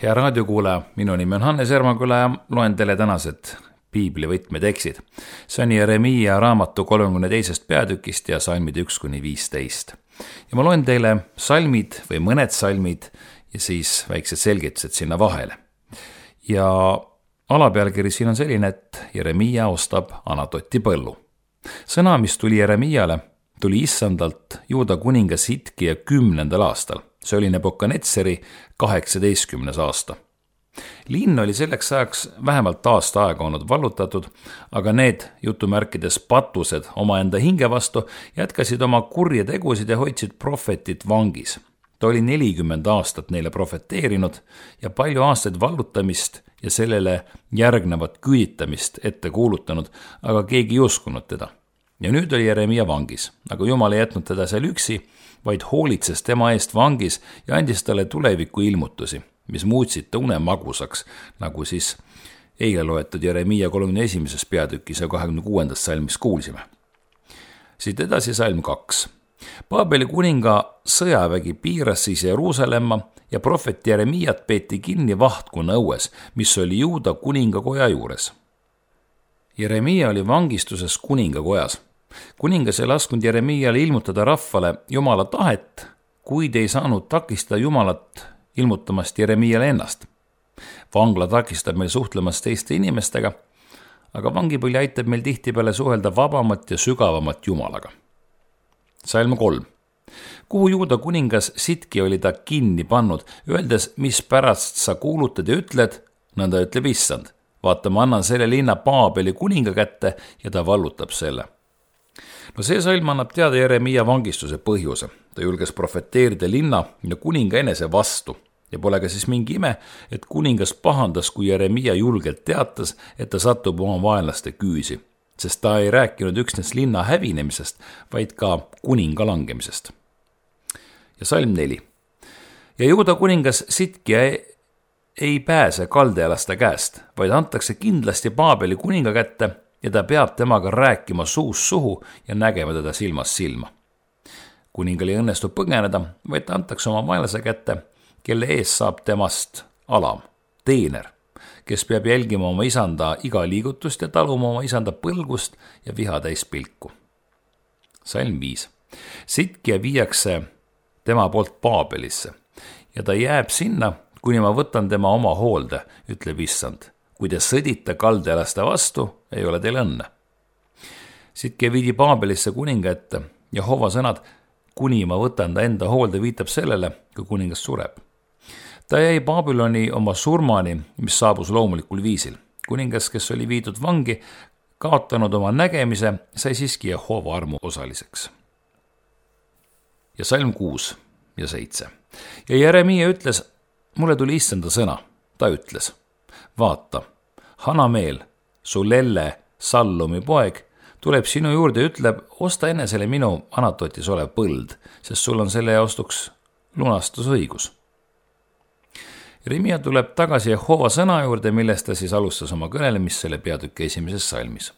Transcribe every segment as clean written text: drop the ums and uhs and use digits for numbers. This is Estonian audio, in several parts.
Hea raadiokuulaja, minu nimi on Hannes Ermaküla ja loen teile tänased piibli võtmetekstid. See on Jeremiia raamatu 32. peatükist ja salmid 1-15. Ja ma loen teile salmid või mõned salmid ja siis väiksed selgitused sinna vahele. Ja alapealkiri siin on selline, et Jeremiia ostab Anatoti põllu. Sõna, mis tuli Jeremiiale, tuli Issandalt Juuda kuninga Sitkija 10. aastal. See oli Nebukadnetsari 18. aasta. Linn oli selleks ajaks vähemalt aasta aega olnud vallutatud, aga need jutumärkides patused omaenda hinge vastu jätkasid oma kurje tegusid ja hoidsid prohvetit vangis. Ta oli 40 aastat neile profeteerinud ja palju aastaid vallutamist ja sellele järgnevat küüditamist ette kuulutanud, aga keegi ei uskunud teda. Ja nüüd oli Jeremiia vangis, aga Jumal ei jätnud teda seal üksi, vaid hoolitses tema eest vangis ja andis talle tuleviku ilmutusi, mis muutsid ta une magusaks, nagu siis eile loetud Jeremiia 31. peatükis ja 26. salmis kuulsime. Siit edasi salm 2. Paabeli kuninga sõjavägi piiras siis Jeruusalemma ja prohvet Jeremiiat peeti kinni vahtkonna õues, mis oli Juuda kuningakoja juures. Jeremiia oli vangistuses kuningakojas. Kuningas ei lasknud Jeremiiale ilmutada rahvale Jumala tahet, kuid ei saanud takistada Jumalat ilmutamast Jeremiiale ennast. Vangla takistab meil suhtlemast teiste inimestega, aga vangipõli aitab meil tihtipeale suhelda vabamat ja sügavamat Jumalaga. Salm 3. Kuhu Juuda kuningas Sitki oli ta kinni pannud, öeldes, mis pärast sa kuulutad ja ütled, nõnda ütleb Issand. Vaata, ma annan selle linna Paabeli kuninga kätte ja ta vallutab selle. No see salm annab teada Jeremiia vangistuse põhjuse. Ta julges profeteerida linna ja kuninga enese vastu. Ja pole ka siis mingi ime, et kuningas pahandas, kui Jeremiia julgelt teatas, et ta satub oma vaenlaste küüsi. Sest ta ei rääkinud üksnes linna hävinemisest, vaid ka kuninga langemisest. Ja salm 4. Ja Juuda kuningas Sitkija ei pääse kaldealaste käest, vaid antakse kindlasti Paabeli kuninga kätte ja ta peab temaga rääkima suust suhu ja nägema teda silmast silma. Kuningal ei õnnestu põgeneda, vaid ta antakse oma vaenlase kätte, kelle ees saab temast alam, teener, kes peab jälgima oma isanda iga liigutust ja taluma oma isanda põlgust ja viha täis pilku. Salm 5. Sitkija viiakse tema poolt Paabelisse ja ta jääb sinna, kuni ma võtan tema oma hoolde, ütleb Issand. Kui te sõdite kaldealaste vastu, ei ole teil õnne. Sitkija viidi Paabelisse kuninga ette ja Hova sõnad, kuni ma võtan ta enda hoolde, viitab sellele, kui kuningas sureb. Ta jäi Babyloni oma surmani, mis saabus loomulikul viisil. Kuningas, kes oli viidud vangi, kaotanud oma nägemise, sai siiski Jehova armu osaliseks. Ja salm 6 ja 7. Ja Jeremiia ütles, mulle tuli Issanda sõna. Ta ütles, vaata, Hanameel, su lelle Sallumi poeg, tuleb sinu juurde ja ütleb, osta enesele minu Anatotis olev põld, sest sul on selle ostuks lunastusõigus. Jeremiia tuleb tagasi Jehova sõna juurde, millest ta siis alustas oma kõnelemist selle peatüki 1. salmis.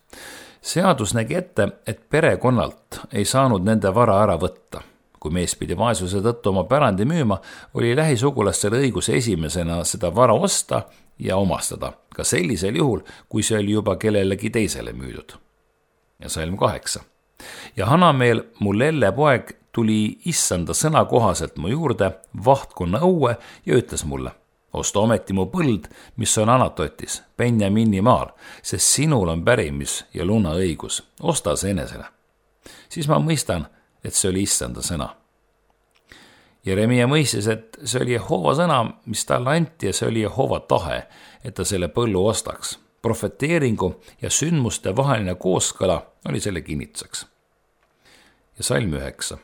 Seadus nägi ette, et perekonnalt ei saanud nende vara ära võtta. Kui mees pidi vaesuse tõttu oma pärandi müüma, oli lähisugulastel õigus esimesena seda vara osta ja omastada, ka sellisel juhul, kui see oli juba kellelegi teisele müüdud. Ja salm 8. Ja Hanameel, mu lelle poeg, tuli Issanda sõna kohaselt mu juurde vahtkonna õue ja ütles mulle, osta ometi mu põld, mis on Anatotis, Benjamini maal, sest sinul on pärimis ja lunaõigus, osta see enesele. Siis ma mõistan, et see oli Issanda sõna. Jeremiia mõistis, et see oli Jehova sõna, mis talle anti ja see oli Jehova tahe, et ta selle põllu ostaks. Profeteeringu ja sündmuste vaheline kooskõla oli selle kinnituseks. Ja salm 9.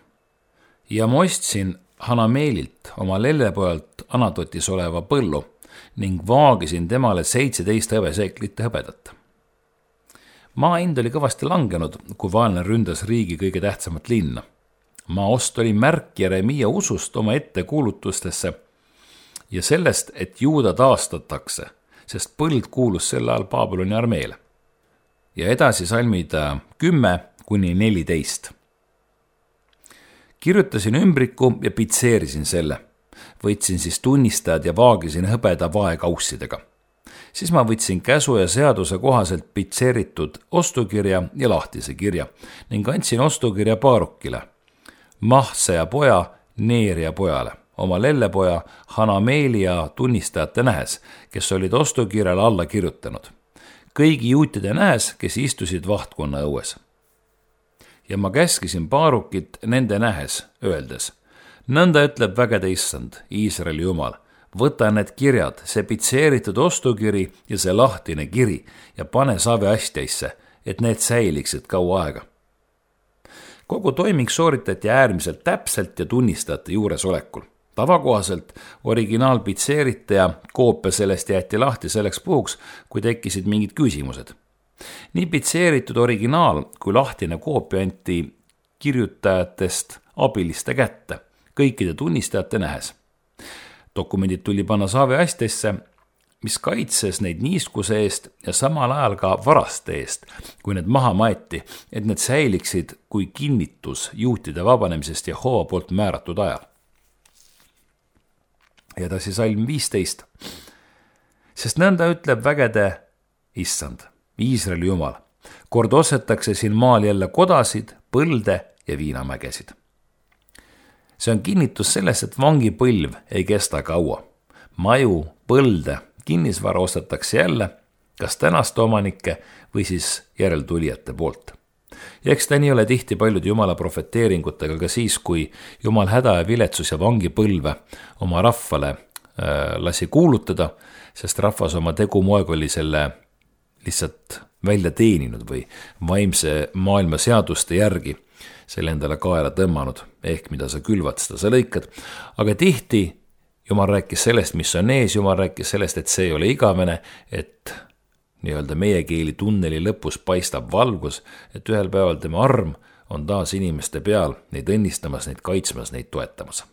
Ja ma ostsin Hanameelilt oma lellepojalt Anatotis oleva põllu ning vaagisin temale 17 hõbeseeklite hõbedat. Maa hind oli kõvasti langenud, kui vaenlane ründas riigi kõige tähtsamat linna. Maa ost oli märk Jeremiia usust oma ettekuulutustesse ja sellest, et Juuda taastatakse, sest põld kuulus sel ajal Babyloni armeele. Ja edasi salmid 10-14. Kirjutasin ümbriku ja pitseerisin selle. võtsin siis tunnistajad ja vaagisin hõbeda vaekaussidega. Siis ma võtsin käsu ja seaduse kohaselt pitseeritud ostukirja ja lahtise kirja ning andsin ostukirja Baarukile, Mahtseja poja Neeria pojale, oma lellepoja Hanameelia tunnistajate nähes, kes olid ostukirjale alla kirjutanud. Kõigi juutide nähes, kes istusid vahtkonna õues. Ja ma käskisin Baarukit nende nähes, öeldes, nõnda ütleb vägede issand, Iisraeli jumal, võta need kirjad, see pitseeritud ostukiri ja see lahtine kiri ja pane saveastjaisse, et need säiliksid kaua aega. Kogu toiming sooritati äärmiselt täpselt ja tunnistajate juuresolekul. Tavakohaselt originaal pitseeriti ja koopia sellest jäeti lahti selleks puhuks, kui tekkisid mingid küsimused. Nii pitseeritud originaal kui lahtine koopia anti kirjutajatest abiliste kätte, kõikide tunnistajate nähes. Dokumendid tuli panna saveastesse, mis kaitses neid niiskuse eest ja samal ajal ka varaste eest, kui need maha maeti, et need säiliksid kui kinnitus juutide vabanemisest Jehova poolt määratud ajal. Ja edasi salm 15. Sest nõnda ütleb vägede issand, Iisraeli jumal, kord ostetakse siin maal jälle kodasid, põlde ja viinamägesid. See on kinnitus sellest, et vangipõlv ei kesta kaua. Maju, põlde, kinnisvara ostetakse jälle, kas tänaste omanike või siis järeltulijate poolt. Ja eks ta nii ole tihti paljud Jumala profeteeringutega ka siis, kui Jumal häda ja viletsus ja vangipõlve oma rahvale lasi kuulutada, sest rahvas oma tegumoeg oli selle lihtsalt välja teeninud või vaimse maailma seaduste järgi selle endale kaela tõmmanud, ehk mida sa külvad, seda sa lõikad. Aga tihti Jumal rääkis sellest, mis on ees, Jumal rääkis sellest, et see ei ole igavene, et nii-öelda meie keeli tunneli lõpus paistab valgus, et ühel päeval tema arm on taas inimeste peal, neid õnnistamas, neid kaitsmas, neid toetamas.